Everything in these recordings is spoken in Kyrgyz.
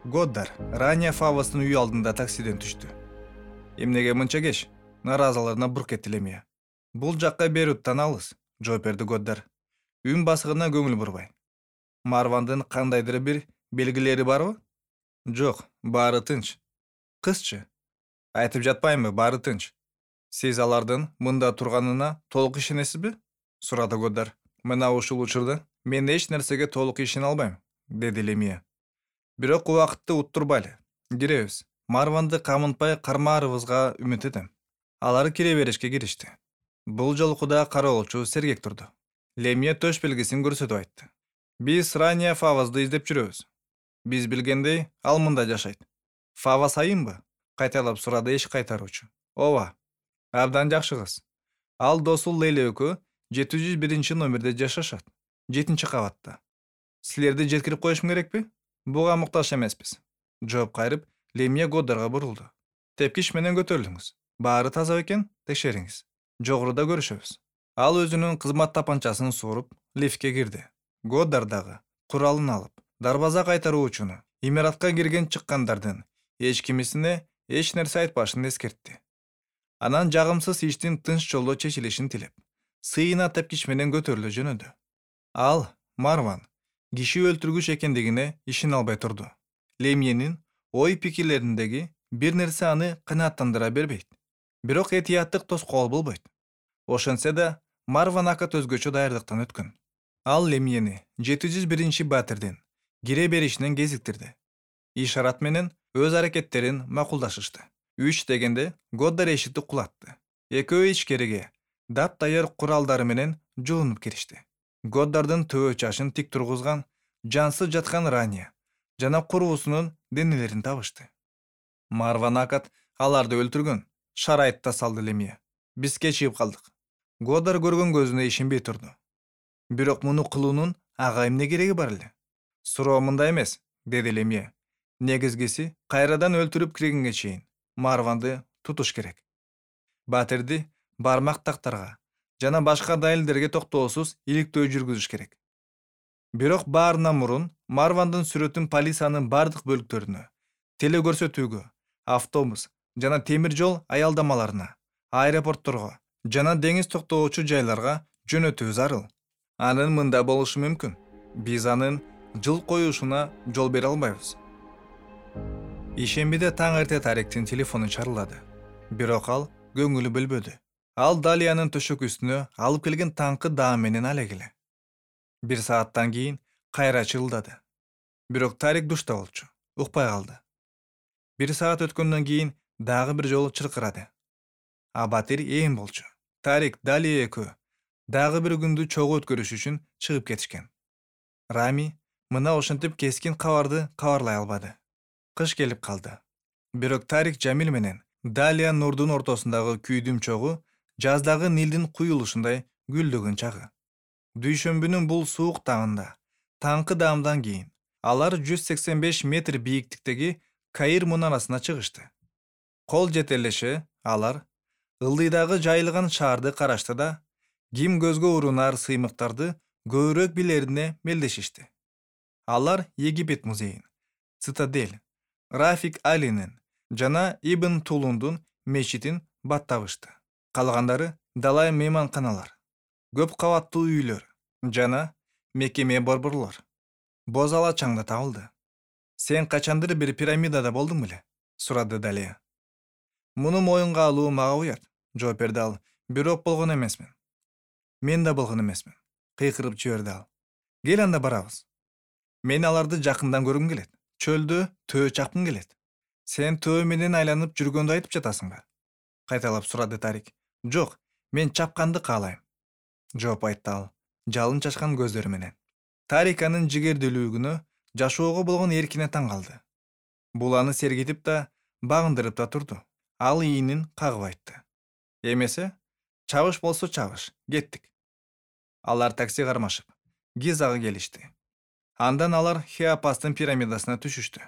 Годдар Рания Фавастын үй алдында таксиден түштү. Эмнеге мынча кеч? Наразылыгына бурк этти Лемия. Бул жакка Беруттан алыс, жооп берди Годдар. Үн басыгына көңүл бурбай. Марвандын кандайдыр бир белгилери барбы? Жок, баары тынч. Кызчы? Айтып жатпаймынбы, баары тынч. Сиз алардын мында турганына толук ишенесизби? Сурады Годдар. Мына ушул учурда мен эч нерсеге толук ишене албайм, деди Лемия. Бирок убакытты уттурбайлы. Киребиз. Марванды камынтпай кармаарыбызга үмүт этем. Алар кире беришке киришти. Бул жолу Куда кароолчу сергек турду. Лемия төш белгисин көрсөтүп айтты. Биз Рания Фавазды издеп жүрөбүз. Биз билгендей, ал мында жашайт. Фавас айымбы? Кайталап сурады эч кайтаруучу. Ооба. Абдан жакшы кыз. Ал досу Лейла экөө 701 номерде жашашат. 7-кабатта. Силерди жеткирип коюшум керекпи? Буга муктаж эмеспиз. Жооп кайрып, Лемия Годдарга бурулду. Тепкич менен көтөрүлүңүз. Баары таза экен, текшериңиз. Жогоруда көрүшөбүз. Ал өзүнүн кызмат тапанчасын сууруп, лифтке кирди. Годдар дагы куралын алып, дарбаза кайтаруучуну, имаратка кирген чыккандардын эч кимисине эч нерсе айтпашын эскертти. Анан жагымсыз иштин тынч жолдо чечилишин тилеп, сыйына тепкич менен көтөрүлө жөнөдү. Ал, Марван, киши өлтүргүч экендигине ишене албай турду. Лемиянын ой пикирлериндеги бир нерсе аны канааттандыра бербейт. Бирок этияттык тоскоол болбойт. Ошентсе да, Марван акат өзгөчө даярдыктан өткөн. Ал Лемияны 701 батирдин кире беришинен кезиктирди. Ишарат менен өз аракеттерин макулдашышты. 3 дегенде Годдар эшикти кулатты. Экөө ичкериге дап-даяр куралдары менен жуунуп киришти. Годдардын төбө чашын тик тургузган, жансыз жаткан Рания жана курбусунун денелерин табышты. Марван акат аларды өлтүргөн, шарайтта салды Лемия. Биз кечигип калдык. Годдар көргөн көзүнө ишенбей турду. Бирок муну кылуунун ага эмне кереги бар эле? Суроо мындай эмес, деди Лемия. Негизгиси, кайрадан өлтүрүп киргенге чейин Марванды тутуш керек. Батирди бармак тактарга жана башка далилдерге токтоосуз иликтөө жүргүзүш керек. Бирок баарынан мурун Марвандын сүрөтүн полициянын бардык бөлүктөрүнө, телекөрсөтүүгө, автобус жана темир жол аялдамаларына, аэропортторго жана деңиз токтоочу жайларга жөнөтүү зарыл. Анын мында болушу мүмкүн. Биз анын жыл коюшуна жол бере албайбыз. Ишембиде таң эрте Тариктин телефону чарылдады. Бирок ал көңүлү бөлбөдү. Ал Далиянын төшөк үстүнө алып келген таңкы даам менен алегиле. 1 сааттан кийин кайра чырылдады. Бирок Тарик душта болчу, укпай калды. 1 саат өткөндөн кийин дагы бир жолу чыркырады. Батир ээн болчу. Тарик, Далия экөө дагы бир күндү чогуу өткөрүш үчүн чыгып кетишкен. Рами мына ошентип кескин кабарды кабарлай албады. Кыш келип калды. Бирок Тарик Жамил менен Далия Нурдун ортосундагы күйдүм чогуу жаздагы Нилдин куюлушундай гүлдөгөн чагы. Дүйшөмбүнүн бул суук таңында, таңкы даамдан кийин алар 185 метр бийиктиктеги Каир мунарасына чыгышты. Кол жетелеше алар ылдыйдагы жайылган шаарды карашты да, ким көзгө урунар сыймыктарды көбүрөөк билерине мелдешишти. Алар Египет музейин, Цитадель, Рафик Алинин жана Ибн Тулундун мечитин баттабышты. Калгандары далай мейманканалар, көп кабаттуу үйлөр жана мекеме борборлор. Боз ала чаңда табылды. Сен качандыр бир пирамидада болдуң беле? Сурады Далия. Муну моюнга алуу мага уят, жооп берди ал. Бирок болгон эмесмин. Мен да болгон эмесмин, кыйкырып жиберди ал. Кел анда барабыз. Мен аларды жакындан көргүм келет. Чөлдө төө чапкым келет. Сен төө менен айланып жүргөндү айтып жатасыңбы? Кайталап сурады Тарик. Жок, мен чапканды каалайм, жооп айтты ал, жалын чачкан көздөрү менен. Тарик анын жигердүүлүгүнө, жашоого болгон эркине таң калды. Бул аны сергитип да, багындырып да турду. Ал иинин кагып айтты. Эмесе, чабыш болсо чабыш, кеттик. Алар такси кармашып, Гизага келишти. Андан алар Хеопастын пирамидасына түшүштү.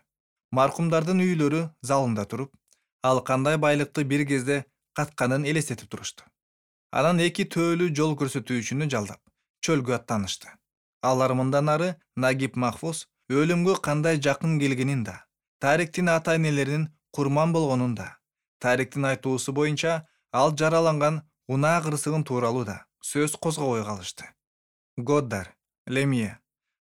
Маркумдардын үйлөрү залында туруп, ал кандай байлыкты бир кезде катканын элестетип турушту. Анан 2 төөлүү жол көрсөтүүчүнү жалдап, чөлгө аттанышты. Алар мындан ары Нагиб Махфуз өлүмгө кандай жакын келгенин да, Тариктин ата-энелеринин курман болгонун да, Тариктин айтуусу боюнча ал жараланган унаа кырсыгын тууралуу да сөз козгобой калышты. Годдар, Лемье,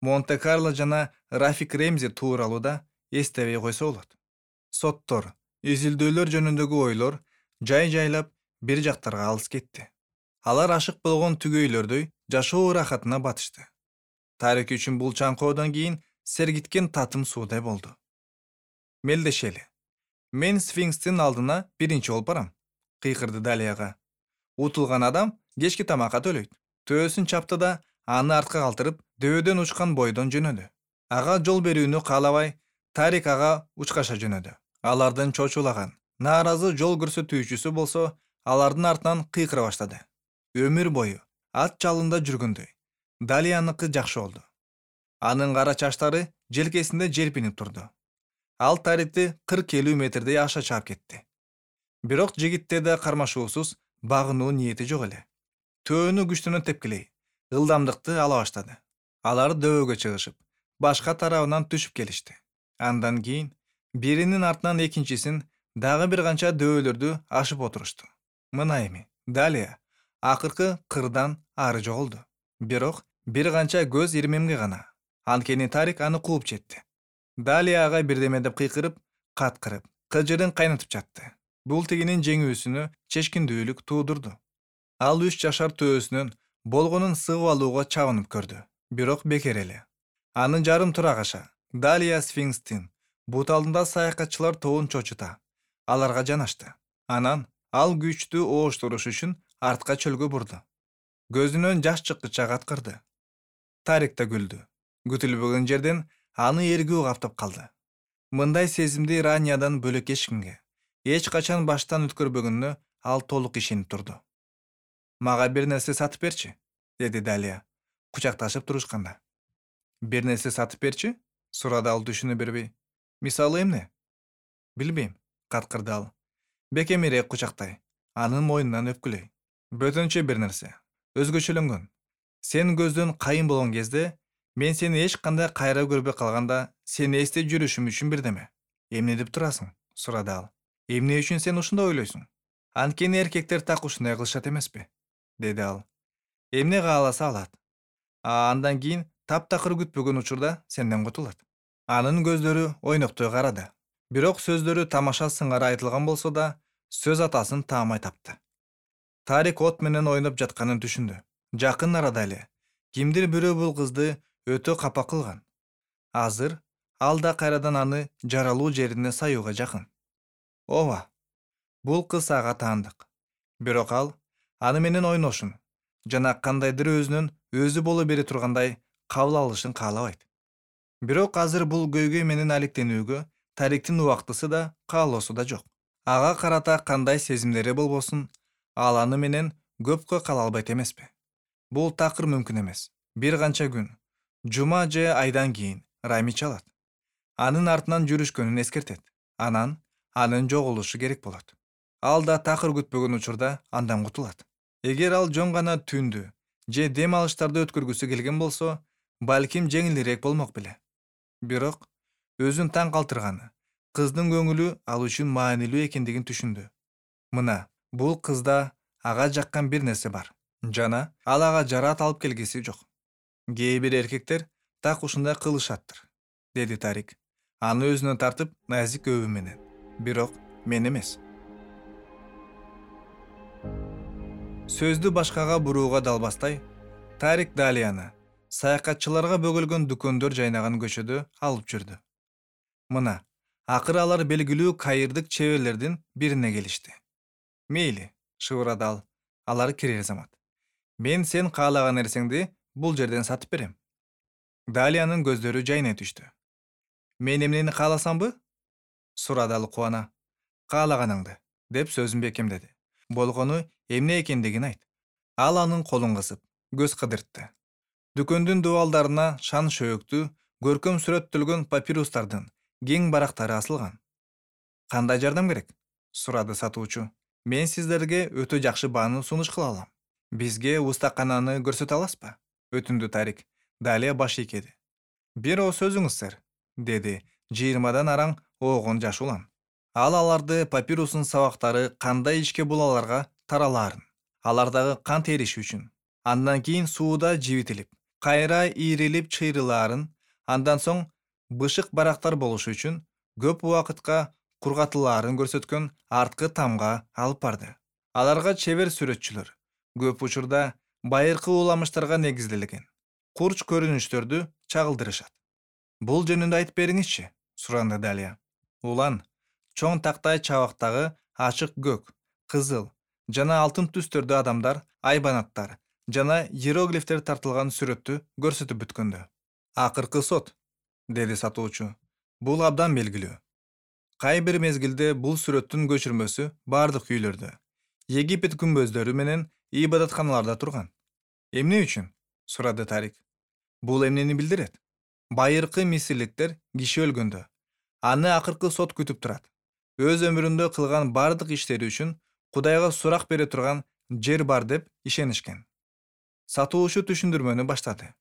Монте-Карло жана Рафик Ремзи тууралуу да эстебей койсо болот. Соттор, изилдөөлөр жөнүндөгү ойлор жай-жайлап бир жактарга алыс кетти. Алар ашык болгон түгөйлөрдөй жашоо ырахатына батышты. Тарик үчүн бул чаңкоодон кийин сергиткен татым суудай болду. Мелдешели. Мен сфинкстин алдына биринчи болуп барам, кыйкырды Далияга. Утулган адам кечки тамакка төлөйт. Төөсүн чапты да аны артка калтырып, дөбөдөн учкан бойдон жөнөдү. Ага жол берүүнү каалабай, Тарик ага учкаша жөнөдү. Алардын чочулаган, нааразы жол көрсөтүүчүсү болсо, алардын артынан кыйкыра баштады. Өмүр бою ат жалында жүргөндөй. Далияныкы жакшы болду. Анын кара чачтары желкесинде желпинип турду. Ал Тарикти 40-50 метрдей аша чаап кетти. Бирок жигитте да кармашуусуз багынуу ниети жок эле. Төөнү күчтөнө тепкилей, ылдамдыкты ала баштады. Алар дөбөгө чыгышып, башка тарабынан түшүп келишти. Андан кийин биринин артынан экинчисин дагы бир канча дөбөлөрдү ашып отурушту. Мына эми Далия акыркы кырдан ары жоголду. Бирок бир канча көз ирмемге гана. Анткени Тарик аны кууп жетти. Далия ага бирдеме деп кыйкырып, каткырып, кыжырын кайнатып жатты. Бул тигинин жеңүүсүнө чечкиндүүлүк туудурду. Ал 3 жашар төөсүнөн болгонун сыгып алууга чабынып көрдү. Бирок бекер эле. Анын жарым турак аша Далия сфинкстин бут алдында саякатчылар тобун чочута. Аларга жанашты. Анан ал күчтүү ооштуруш үчүн артка чөлгө бурду. Көзүнөн жаш чыккыча каткырды. Тарик да күлдү. Күтүлбөгөн жерден аны эргүү каптап калды. Мындай сезимди Раниядан бөлөк эч кимге, эч качан баштан өткөрбөгөнүнө ал толук ишенип турду. Мага бир нерсе сатып берчи, деди Далия, кучакташып турушканда. Бир нерсе сатып берчи? Сурады ал түшүнө бербей. Мисалы эмне? Билбейм, каткырды ал. Бекемирээк кучактай, анын мойнунан өпкүлөй. Бөтөнчө бир нерсе. Өзгөчөлөнгөн. Сен көздөн кайын болгон кезде, мен сени эч кандай кайра көрбөй калганда, сени эстеп жүрүшүм үчүн бирдеме. Эмне деп турасың? Сурады ал. Эмне үчүн сен ушундай ойлойсуң? Анткени эркектер так ушундай кылышат эмеспи? Деди ал. Эмне кааласа алат. Андан кийин таптакыр күтпөгөн учурда сенден кутулат. Анын көздөрү ойноктой карады. Бирок сөздөрү тамаша сыңары айтылган болсо да, сөз атасын таамай тапты. Тарик от менен ойноп жатканын түшүндү. Жакын арада эле кимдир бирөө бул кызды өтө капа кылган. Азыр ал да кайрадан аны жаралуу жерине саюуга жакын. Ооба, бул кыз ага таандык. Бирок ал аны менен ойношун жана кандайдыр өзүнөн өзү боло бере тургандай кабыл алышын каалабайт. Бирок азыр бул көйгөй менен алектенүүгө Тариктин убактысы да, каалоосу да жок. Ага карата кандай сезимдери болбосун, ал аны менен көпкө кала албайт эмеспи? Бул такыр мүмкүн эмес. Бир канча күн, жума же айдан кийин Рами чалат. Анын артынан жүрүшкөнүн эскертет. Анан анын жоголушу керек болот. Ал да такыр күтпөгөн учурда андан кутулат. Эгер ал жөн гана түндү же дем алыштарды өткөргүсү келген болсо, балким жеңилирээк болмок беле. Бирок өзүн таң калтырганы, кыздын көңүлү ал үчүн маанилүү экендигин түшүндү. Мына, бул кызда ага жаккан бир нерсе бар. Жана ал ага жарат алып келгиси жок. Кээ бир эркектер так ушундай кылышаттыр, деди Тарик. Аны өзүнө тартып, назик өбү менен. Бирок мен эмес. Сөздү башкага бурууга далбастай, Тарик Далияны саякатчыларга бөгөлгөн дүкөндөр жайнаган көчөдө алып жүрдү. Мына, акыры алар белгилүү кайырдык чеберлердин бирине келишти. Мейли, шыбырады ал. Алар кирер замат. Мен сен каалаган нерсеңди бул жерден сатып берем. Далиянын көздөрү жайнай түштү. Мен эмнени кааласамбы? Сурады ал кубана. Каалаганыңды, деп сөзүн бекемдеди. Болгону эмне экендигин айт. Ал анын колун кысып, көз кыдыртты. Дүкөндүн дубалдарына шан шөөктүү, көркөм сүрөттөлгөн папирустардын кең барактары асылган. Кандай жардам керек? Сурады сатуучу. Мен сиздерге өтө жакшы бааны сунуш кыла алам. Бизге устакананы көрсөтө аласызбы? Өтүндү Тарик. Далия баш ийкеди. Бир ооз сөзүңүз, сэр, деди 20дан араң оогон жаш улан. Ал аларды папирустун сабактары кандай ишке булаларга таралаарын, алардагы кан териши үчүн, андан кийин сууда жибитилип, кайра ийрилип чыйрылаарын, андан соң бышык барактар болушу үчүн көп убакытка кургатылаарын көрсөткөн арткы тамга алып барды. Аларга чебер сүрөтчүлөр көп учурда байыркы уламыштарга негизделген курч көрүнүштөрдү чагылдырышат. Бул жөнүндө айтып бериңизчи, суранды Далия. Улан чоң тактай чабактагы ачык көк, кызыл жана алтын түстөрдө адамдар, айбанаттар жана иероглифтер тартылган сүрөттү көрсөтүп бүткөндө. Акыркы сот, деди сатуучу. Бул абдан белгилүү. Кай бир мезгилде бул сүрөттүн көчүрмөсү бардык үйлөрдө, Египет күмбөздөрү менен ибадатканаларда турган. Эмне үчүн? Сурады Тарик. Бул эмнени билдирет? Байыркы мисирликтер киши өлгөндө аны акыркы сот күтүп турат. Өз өмүрүндө кылган бардык иштери үчүн Кудайга сурак бере турган жер бар деп ишенишкен. Сатуучу түшүндүрмөнү баштады.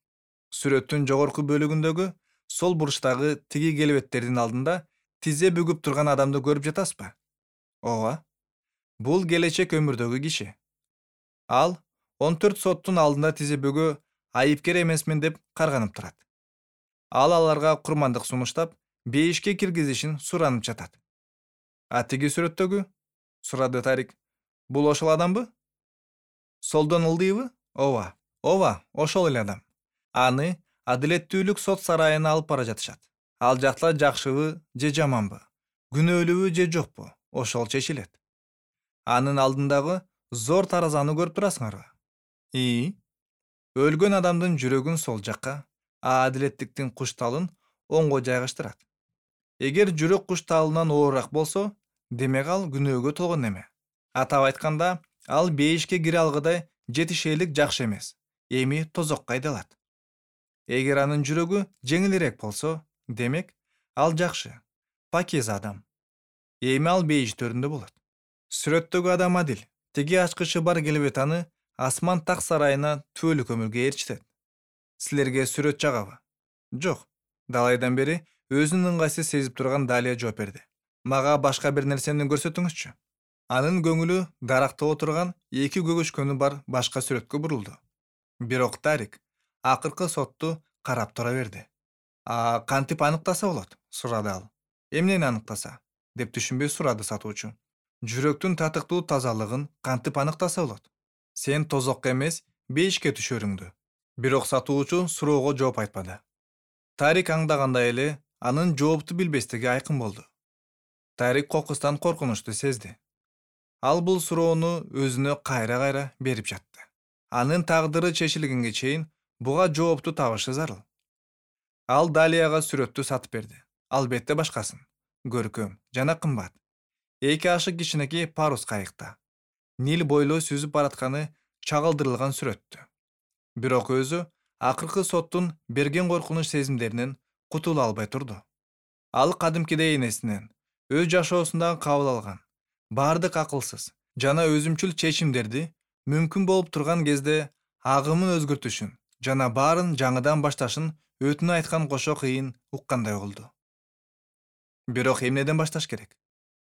Сүрөттүн жогорку бөлүгүндөгү сол бурчтагы тиги келбеттердин алдында тизе бүгүп турган адамды көрүп жатасызбы? Ооба. Бул келечек өмүрдөгү киши. Ал 14 соттун алдында тизе бүгө айыпкер эмесмин деп карганып турат. Ал аларга курмандык сунуштап, бейишке киргизишин суранып жатат. А тиги сүрөттөгү? Сурады Тарик. Бул ошол адамбы? Солдон ылдыйбы? Ооба. Ооба, ошол эле адам. Аны адилеттүүлүк сот сарайына алып бара жатышат. Ал жакта жакшыбы же жаманбы, күнөөлүүбү же жокпу, ошол чечилет. Анын алдындагы зор таразаны көрүп турасыңарбы? Өлгөн адамдын жүрөгүн сол жакка, а адилеттиктин кушталын оңго жайгаштырат. Эгер жүрөк кушталынан оорураак болсо, демек ал күнөөгө толгон эме. Атап айтканда, ал бейишке кире алгыдай жетишээлик жакшы эмес, эми тозокко айдалат. Эгер анын жүрөгү жеңилирээк болсо, демек ал жакшы, пакиза адам. Эми ал бейиштөрүндө болот. Сүрөттөгү адам адил, тиги ачкычы бар келбет аны асман так сарайына түбөлүк өмүргө ээрчитет. Силерге сүрөт жагабы? Жок. Далайдан бери өзүн ыңгайсыз сезип турган Далия жооп берди. Мага башка бир нерсени көрсөтүңүзчү. Анын көңүлү даракта отурган эки көгөчкөнү бар башка сүрөткө бурулду. Бирок Тарик акыркы сотту карап тура берди. Кантип аныктаса болот? Сурады ал. Эмнени аныктаса? Деп түшүнбөй сурады сатуучу. Жүрөктүн татыктуу тазалыгын кантип аныктаса болот? Сен тозокко эмес, бейишке түшөрүңдү. Бирок сатуучу суроого жооп айтпады. Тарик аңдагандай эле анын жоопту билбестиги айкын болду. Тарик кокустан коркунучту сезди. Ал бул суроону өзүнө кайра-кайра берип жатты. Анын тагдыры чечилгенге чейин буга жоопту табышы зарыл. Ал Далияга сүрөттү сатып берди. Албетте башкасын. Көркөм жана кымбат. 2 ашык кичинекей парус кайыкта. Нил бойлой сүзүп баратканы чагылдырылган сүрөттү. Бирок өзү акыркы соттун берген коркунуч сезимдеринен кутула албай турду. Ал кадимкидей энесинен, өз жашоосундагы кабыл алган бардык акылсыз жана өзүмчүл чечимдерди мүмкүн болуп турган кезде агымын өзгөртүшүн жана баарын жаңыдан башташын өтүнө айткан кошо кыйын уккандай болду. Бирок эмнеден башташ керек?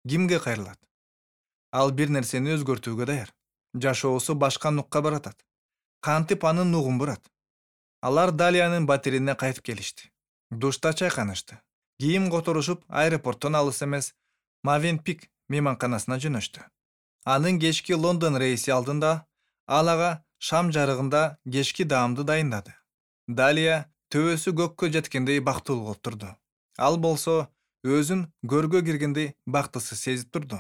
Кимге кайрылат? Ал бир нерсени өзгөртүүгө даяр. Жашоосу башка нукка баратат. Кантип анын нугун бурат? Алар Далиянын батирине кайтып келишти. Душта чайканышты. Кийим которушуп, аэропорттон алыс эмес Мавенпик мейманканасына жөнөштү. Анын кечки Лондон рейси алдында ал ага шам жарыгында кечки даамды дайындады. Далия төбөсү көккө жеткендей бактылуу болуп турду. Ал болсо өзүн көргө киргендей бактысыз сезип турду.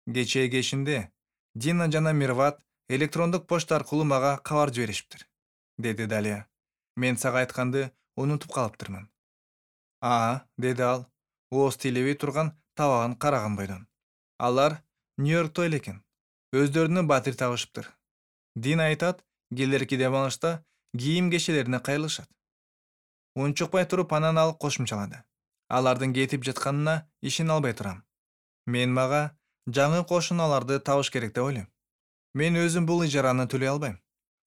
Кечээ кешинде Дина жана Мирват электрондук почта аркылуу мага кабар жиберишиптир, деди Далия. Мен сага айтканды унутуп калыптырмын. Деди ал, ооз тейлебей турган табагын караган бойдон. Алар Нью-Йоркто элекен. Өздөрүнө батир табышыптыр. Дина айтат, келерки дем алышта кийим кечелерине кайрылышат. Унчукпай туруп анан ал кошумчалады. Алардын кетип жатканына ишене албай турам. Мага жаңы кошуналарды табыш керек деп ойлойм. Мен өзүм бул ижараны төлөй албайм.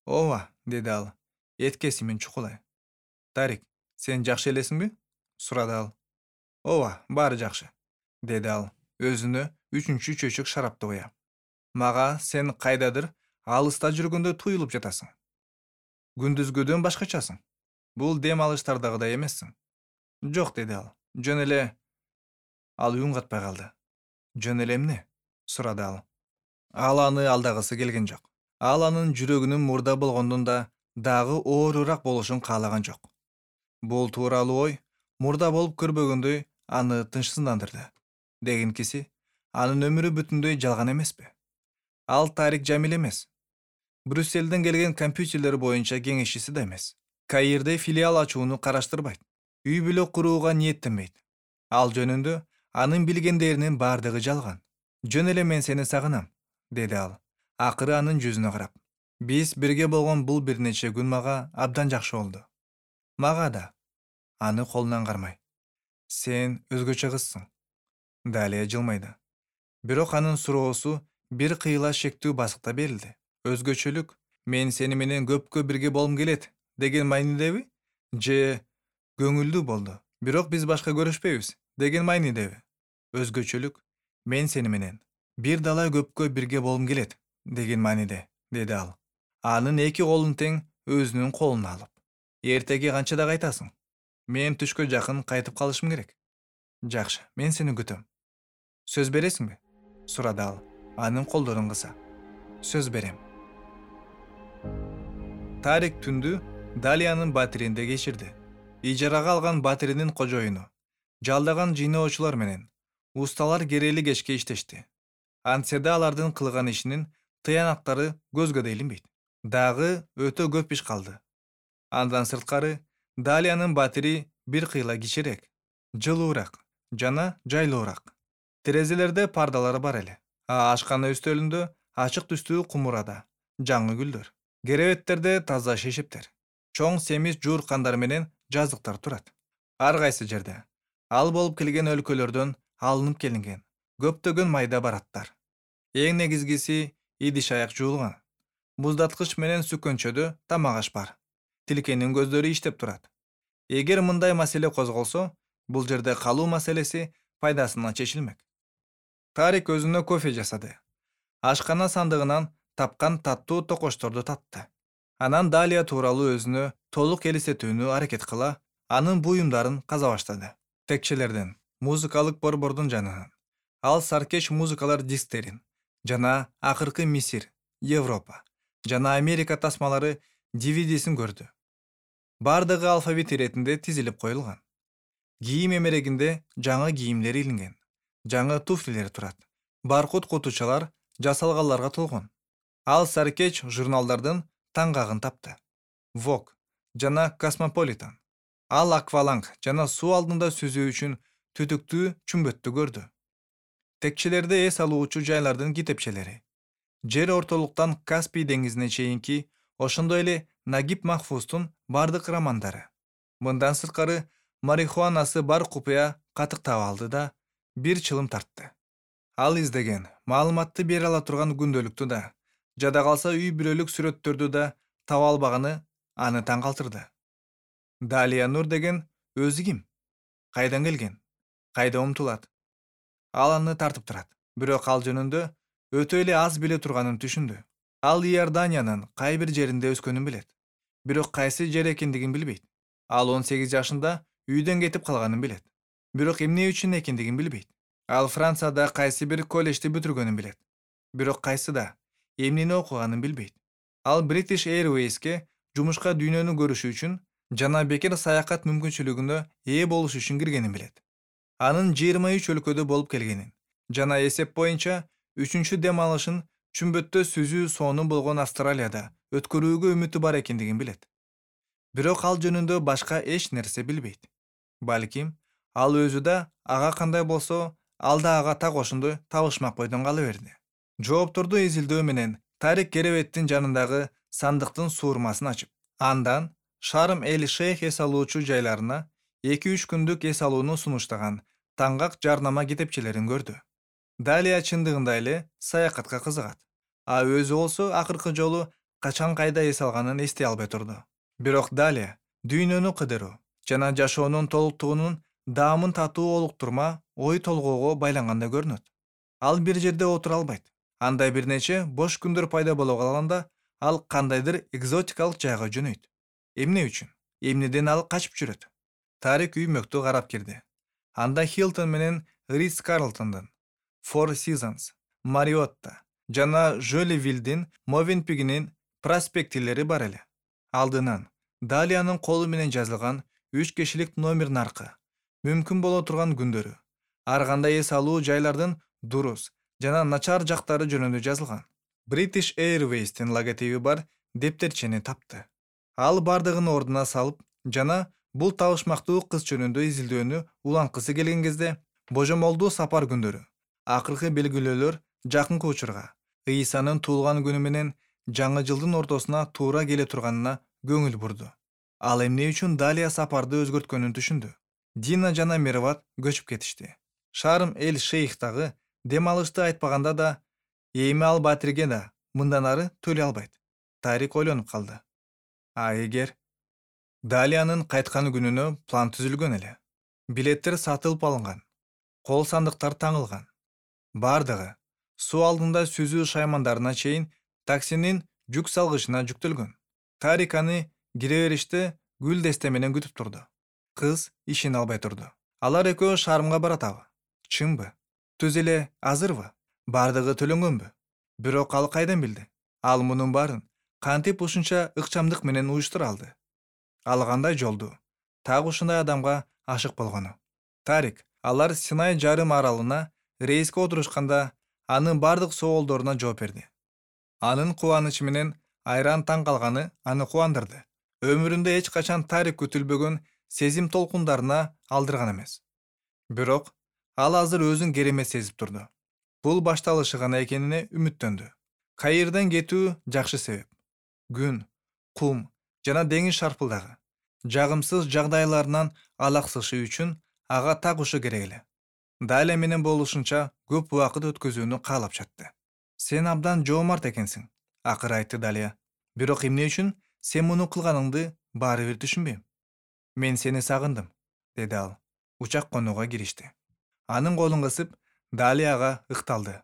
Ооба, деди ал, эт кесимин чукулай. Тарик, сен жакшы элесиңби? Сурады ал. Ооба, баары жакшы, деди ал өзүнө үчүнчү чөйчөк шарапты куя. Мага сен кайдадыр алыста жүргөндө туюлуп жатасың. Күндүзгүдөн башкачасың. Бул дем алыштардагыдай эмессиң. Жок, деди ал. Жөн эле. Ал үн катпай калды. Жөн эле эмне? Сурады ал. Ал аны алдагысы келген жок. Ал анын жүрөгүнүн мурда болгондон да дагы оорураак болушун каалаган жок. Бул тууралуу ой мурда болуп көрбөгөндөй аны тынчсыздандырды. Дегенкиси, анын өмүрү бүтүндөй жалган эмеспи? Ал Тарик Жамил эмес. Брюссельден келген компьютерлер боюнча кеңешчиси да эмес. Каирде филиал ачууну караштырбайт. Үй бүлө курууга ниеттенбейт. Ал жөнүндө анын билгендеринин баардыгы жалган. Жөн эле мен сени сагынам, деди ал. Акыры анын жүзүнө карап. Биз бирге болгон бул бир нече күн мага абдан жакшы болду. Мага да. Аны колунан кармай. Сен өзгөчө кызсың. Далия жылмайды. Бирок анын суроосу бир кыйла шектүү басыкта берилди. Өзгөчөлүк мен сени менен көпкө бирге болгум келет деген маанидеби? Же көңүлдүү болду, бирок биз башка көрүшпөйбүз деген маанидеби? Өзгөчөлүк мен сени менен бир далай көпкө бирге болгум келет деген мааниде, деди ал. Анын эки колун тең өзүнүн колуна алып. Эртеге канчада кайтасың? Мен түшкө жакын кайтып калышым керек. Жакшы, мен сени күтөм. Сөз бересиңби? Сурады ал, анын колдорун кыса. Сөз берем. Тарик түндү Далиянын батиринде кечирди. Ижарага алган батиринин кожоюну, жалдаган жыйноочулар менен усталар керели кечке иштешти. Антсе да алардын кылган ишинин тыянактары көзгө да илинбейт. Дагы өтө көп иш калды. Андан сырткары Далиянын батири бир кыйла кичирээк, жылуураак жана жайлуураак. Терезелерде пардалар бар эле. Ашкана үстөлүндө ачык түстүү кумурада жаңы гүлдөр. Керебеттерде таза шешептер. Чоң семиз жууркандар менен жазыктар турат. Ар кайсы жерде ал болуп келген өлкөлөрдөн алынып келинген көптөгөн майда бараттар. Эң негизгиси идиш аяк жуулган. Муздаткыч менен сүккөнчөдө тамак аш бар. Тилкенин көздөрү иштеп турат. Эгер мындай маселе козголсо, бул жерде калуу маселеси пайдасына чечилмек. Тарик өзүнө кофе жасады. Ашкана сандыгынан тапкан таттуу токочторду татты. Анан Далия тууралуу өзүнө толук элестетүүнү аракет кыла, анын буюмдарын каза баштады. Текчелерден, музыкалык борбордун жанынан. Ал саркеч музыкалар дисктерин жана акыркы Мисир, Европа жана Америка тасмалары DVD-син көрдү. Бардыгы алфавит иретинде тизилип коюлган. Кийим эмерегинде жаңы кийимдер илинген. Жаңы туфлилер турат. Баркут кутучалар жасалганларга толгон. Ал саркеч журналдардын таңгагын тапты. Vogue жана Cosmopolitan. Ал акваланг жана суу алдында сүзүү үчүн түтүктүү чүмбөттү көрдү. Текчелерде эс алуучу жайлардын китепчелери. Жер ортолуктан Каспий деңизине чейинки, ошондой эле Нагиб Махфуздун бардык романдары. Мындан сырткары марихуанасы бар купуя катык таап алды да бир чылым тартты. Ал издеген, маалыматты бере ала турган күндөлүктү да, жада калса үй бүлөлүк сүрөттөрдү да таба албаганы аны таң калтырды. Далия Нур деген өзү ким? Кайдан келген? Кайда умтулат? Ал аны тартып турат. Бирок ал жөнүндө өтө эле аз биле турганын түшүндү. Ал Иорданиянын кай бир жеринде өскөнүн билет. Бирок кайсы жер экендигин билбейт. Ал 18 жашында үйдөн кетип калганын билет. Бирок эмне үчүн экендигин билбейт. Ал Францияда кайсы бир коллежди бүтүргөнүн билет. Бирок кайсыда, эмнени окуганын билбейт. Ал British Airways'ке жумушка дүйнөнү көрүшү үчүн жана бекер саякат мүмкүнчүлүгүнө ээ болуш үчүн киргенин билет. Анын 23 өлкөдө болуп келгенин жана эсеп боюнча 3-чү дем алышын чүмбөттө сүзүү соону болгон Австралияда өткөрүүгө үмүтү бар экендигин билет. Бирок ал жөнүндө башка эч нерсе билбейт. Балким, ал өзү да ага кандай болсо, ал да ага так ошондой табышмак бойдон кала берди. Жоопторду изилдөө менен Тарик керебеттин жанындагы сандыктын суурмасын ачып, андан Шарм эль Шейх эс алуучу жайларына 2-3 күндүк эс алууну сунуштаган таңгак жарнама китепчелерин көрдү. Далия чындыгында эле саякатка кызыгат. Өзү болсо акыркы жолу качан кайда эс алганын эстей албай турду. Бирок Далия дүйнөнү кыдыруу жана жашоонун толуктугунун даамын татуу олуктурма ой толгоого байлангандай көрүнөт. Ал бир жерде отура албайт. Анда бир нече бош күндөр пайда боло калганда, ал кандайдыр экзотикалык жайга жөнөйт. Эмне үчүн? Эмнеден ал качып жүрөт? Тарик үймөктү карап кирди. Анда Хилтон менен Ритс Карлтондун, Four Seasons, Мариотта жана Жолливилдин Мовенпигинин проспектилери бар эле. Алдынан Далиянын колу менен жазылган 3 кишилик номер наркы, мүмкүн боло турган күндөрү, ар кандай эс алуу жайлардын дурус жана начар жактары жөнүндө жазылган. British Airways'тин логотиби бар дептерчени тапты. Ал бардыгын ордуна салып жана бул табышмактуу кыз жөнүндө изилдөөнү уланткысы келген кезде божомолдуу сапар күндөрү, акыркы белгилөөлөр жакынкы учурга, Ыйсанын туулган күнү менен жаңы жылдын ортосуна туура келе турганына көңүл бурду. Ал эмне үчүн Далия сапарды өзгөрткөнүн түшүндү. Дина жана Мерват көчүп кетишти. Шарм эль Шейхтагы дем алышты айтпаганда да, эми ал батирге да мындан ары төлөй албайт. Тарик ойлонуп калды. А эгер Далиянын кайткан күнүнө план түзүлгөн эле. Билеттер сатылып алынган. Кол сандыктар таңылган. Бардыгы суу алдында сүзүү шаймандарына чейин таксинин жүк салгычына жүктөлгөн. Тарик аны кире бериште гүл десте менен күтүп турду. Кыз ишене албай турду. Алар экөө Шармга баратабы? Чынбы? Түз эле азырбы? Бардыгы төлөнгөнбү? Бирок ал кайдан билди? Ал мунун баарын кантип ушунча ыкчамдык менен уюштура алды? Ал кандай жолду? Так ушундай адамга ашык болгону. Тарик алар Синай жарым аралына рейске отурушканда анын бардык соолдоруна жооп берди. Анын кубанычы менен айран таң калганы аны кубандырды. Өмүрүндө эч качан Тарик күтүлбөгөн сезим толкундарына алдырган эмес. Бирок ал азыр өзүн керемет сезип турду. Бул башталышы гана экенине үмүттөндү. Кайырдан кетүү жакшы себеп. Күн, кум жана деңиз шарпылдагы жагымсыз жагдайларынан алаксышы үчүн ага так ушу керек эле. Далия менен болушунча көп убакыт өткөзүүнү каалап жатты. Сен абдан жоомарт экенсиң, акыры айтты Далия. Бирок эмне үчүн сен муну кылганыңды баары бир түшүнбөйм. Мен сени сагындым, деди ал. Учак конууга киришти. Анын колун кысып, Далияга ыкталды.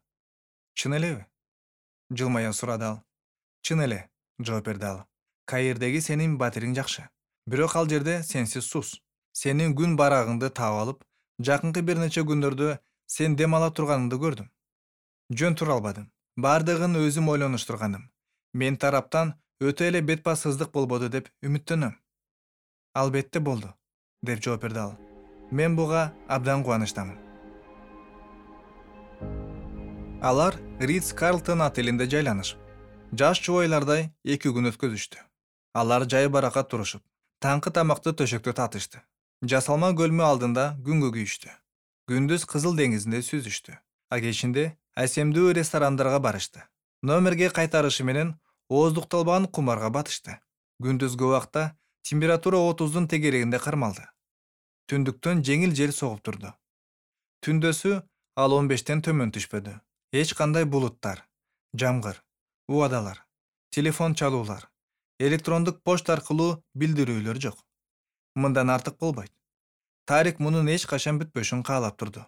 Чын элеби? Жылмая сурады ал. Чын эле, жооп берди ал. Кайырдеги сенин батириң жакшы. Бирок ал жерде сенсиз сус. Сенин күн барагыңды таап алып, жакынкы бир нече күндөрдө сен дем ала турганыңды көрдүм. Жөн тура албадым. Бардыгын өзүм ойлонуштурганым. Мен тараптан өтө эле бет бассыздык болбоду деп үмүттөнөм. Албетте болду, деп жооп берди ал. Мен буга абдан кубанычтамын. Алар Ритс Карлтон отелинде жайланышып, жаш жубойлардай 2 күн өткөзүштү. Алар жай баракат турушуп, таңкы тамакты төшөктө татышты. Жасалма көлмө алдында күнгө күйүштү. Күндүз Кызыл деңизинде сүзүштү. А кечинде асемдүү ресторандарга барышты. Номерге кайтарышы менен ооздукталбаган кумарга батышты. Күндүзгү убакта температура 30дун тегерегинде кармалды. Түндүктөн жеңил жел согуп турду. Түндөсү ал 15тен төмөн түшпөдү. Эч кандай булуттар, жамгыр, убадалар, телефон чалуулар, электрондук почта аркылуу билдирүүлөр жок. Мындан артык болбойт. Тарик мунун эч качан бүтпөшүн каалап турду.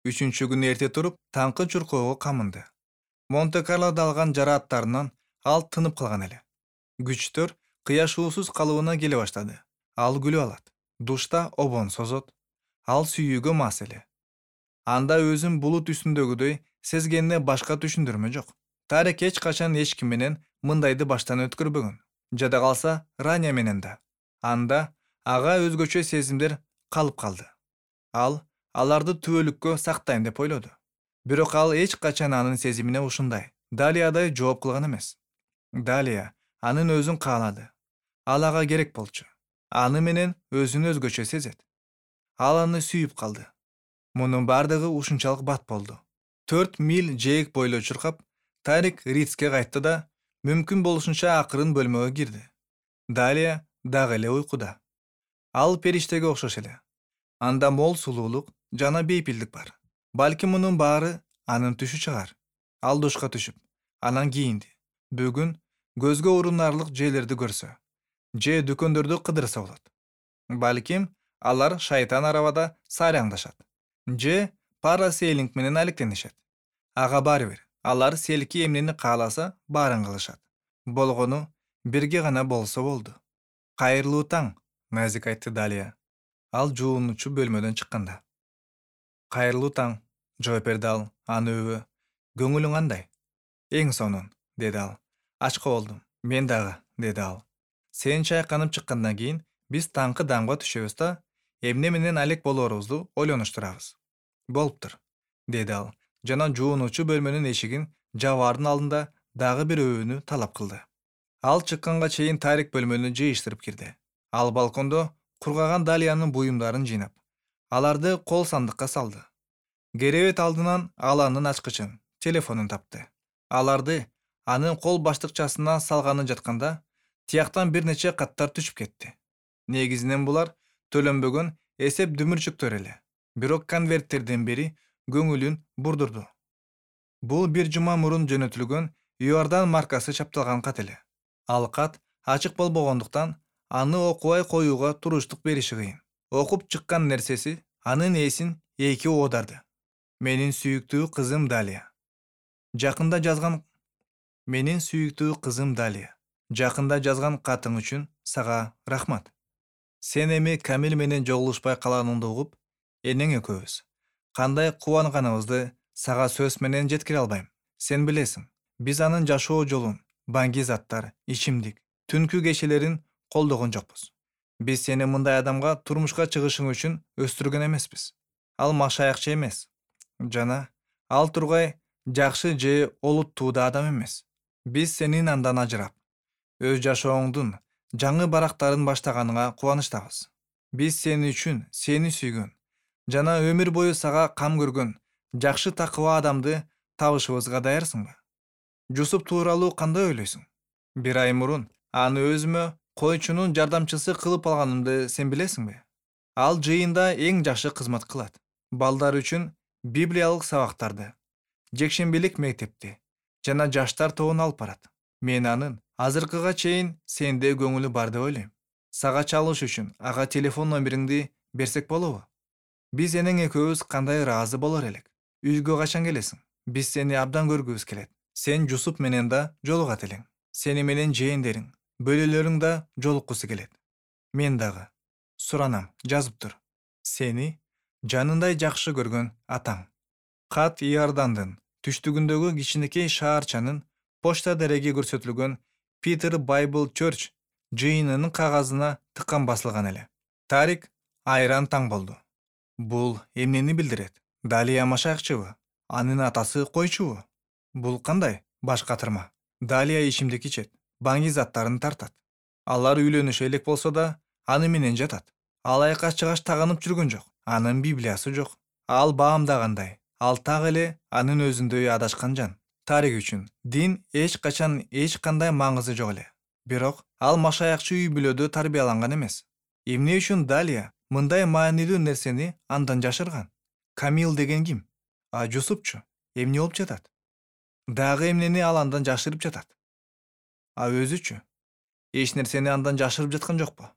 3-чү күнү эрте туруп, таңкы чуркоого камынды. Монте-Карлода алган жарааттарынан ал тынып калган эле. Күчтөр кыяшуусуз калыбына келе баштады. Ал күлүп алат. Душта обон созот. Ал сүйүүгө мас эле. Анда өзүн булут үстүндөгүдөй сезгенине башка түшүндүрмө жок. Тарик эч качан эч ким менен мындайды баштан өткөрбөгөн. Жада калса, Раня менен да. Анда ага өзгөчө сезимдер калып калды. Ал аларды түбөлүккө сактайм деп ойлоду. Бирок ал эч качан анын сезимине ушундай Далиядай жооп кылган эмес. Далия анын өзүн каалады. Ал ага керек болчу. Аны менен өзүн өзгөчө сезет. Ал аны сүйүп калды. Мунун бардыгы ушунчалык бат болду. 4 миль жээк бойлой чуркап, Тарик Ритске кайтты да мүмкүн болушунча акырын бөлмөгө кирди. Далия дагы эле уйкуда. Ал периштеге окшош эле. Анда мол сулуулук жана бейпилдик бар. Балким мунун баары анын түшү чыгар. Ал душка түшүп, анан кийинди. Бүгүн көзгө урунарлык жээлерди көрсө, же дүкөндөрдү кыдырса болот. Балким Алар шайтан арабада сайраңдашат же парасейлинг менен алектенишет. Ага баары бир. Алар селки эмнени кааласа баарын кылышат. Болгону бирге гана болсо болду. Кайырлуу таң, назик айтты Далия. Ал жуунуучу бөлмөдөн чыкканда. Кайырлуу таң, жооп берди ал, аныбы. Көңүлүң кандай? Эң сонун, деди ал. Ачка болдум. Мен дагы, деди ал. Сен чайканып чыккандан кийин биз таңкы дамга түшөбүз да, эмне менен алек болорубузду ойлонуштурабыз. Болуптур, деди ал жана жуунуучу бөлмөнүн эшигин жабаардын алдында дагы бир өбүүнү талап кылды. Ал чыкканга чейин Тарик бөлмөнү жыйыштырып кирди. Ал балкондо кургаган Далиянын буюмдарын жыйнап, аларды кол сандыкка салды. Керебет алдынан ал анын ачкычын, телефонун тапты. Аларды анын кол баштыкчасына салганы жатканда, тияктан бир нече каттар түшүп кетти. Негизинен булар төлөнбөгөн эсеп дүмүрчүктөр эле. Бирок конверттердин бири көңүлүн бурдурду. Бул бир жума мурун жөнөтүлгөн Иордан маркасы чапталган кат эле. Ал кат ачык болбогондуктан аны окубай коюуга туруштук бериши кыйын. Окуп чыккан нерсеси анын эсин эки оодарды. Менин сүйүктүү кызым Далия. Жакында жазган катың үчүн сага рахмат. Сен эми Камил менен жолугушпай калганыңды угуп, энең экөөбүз кандай кубанганыбызды сага сөз менен жеткире албайм. Сен билесиң, биз анын жашоо жолун, баңги заттар, ичимдик, түнкү кечелерин колдогон жокпуз. Биз сени мындай адамга турмушка чыгышың үчүн өстүргөн эмеспиз. Ал машаякчы эмес жана ал тургай жакшы же олуттуу да адам эмес. Биз сенин андан ажырап, өз жашооңдун жаңы барактарын баштаганыңа кубанычтабыз. Биз сени үчүн сени сүйгөн жана өмүр бою сага кам көргөн жакшы такыба адамды табышыбызга даярсыңбы? Жусуп тууралуу кандай ойлойсуң? Бир ай мурун аны өзүмө койчунун жардамчысы кылып алганымды сен билесиңби? Ал жыйында эң жакшы кызмат кылат. Балдар үчүн библиялык сабактарды, жекшембилик мектепти жана жаштар тобун алып барат. Мен анын азыркыга чейин сенде көңүлү бар деп ойлойм. Сага чалыш үчүн ага телефон номериңди берсек болобу? Биз энең экөөбүз кандай ыраазы болор элек. Үйгө качан келесиң? Биз сени абдан көргүбүз келет. Сен Жусуп менен да жолугат элең. Сени менен жээндериң, бөлөлөрүң да жолуккусу келет. Мен дагы. Суранам, жазып тур. Сени жанындай жакшы көргөн атаң. Кат Иордандын түштүгүндөгү кичинекей шаарчанын почта дереги көрсөтүлгөн Peter Bible Church жыйынынын кагазына тыккан басылган эле. Тарик айран таң болду. Бул эмнени билдирет? Далия машаякчыбы? Анын атасы койчубу? Бул кандай баш катырма? Далия ичимдик ичет, баңги заттарын тартат. Алар үйлөнүшө элек болсо да, аны менен жатат. Ал айкаш-чыгаш таганып жүргөн жок. Анын библиясы жок. Ал баамдагандай, ал так эле анын өзүндөй адашкан жан. Тарик үчүн дин эч качан эч кандай маңызы жок эле. Бирок ал машаякчы үй бүлөдө тарбияланган эмес. Эмне үчүн Далия мындай маанилүү нерсени андан жашырган? Камил деген ким? А Жусупчу эмне болуп жатат? Дагы эмнени ал андан жашырып жатат? А өзүчү эч нерсени андан жашырып жаткан жокпу?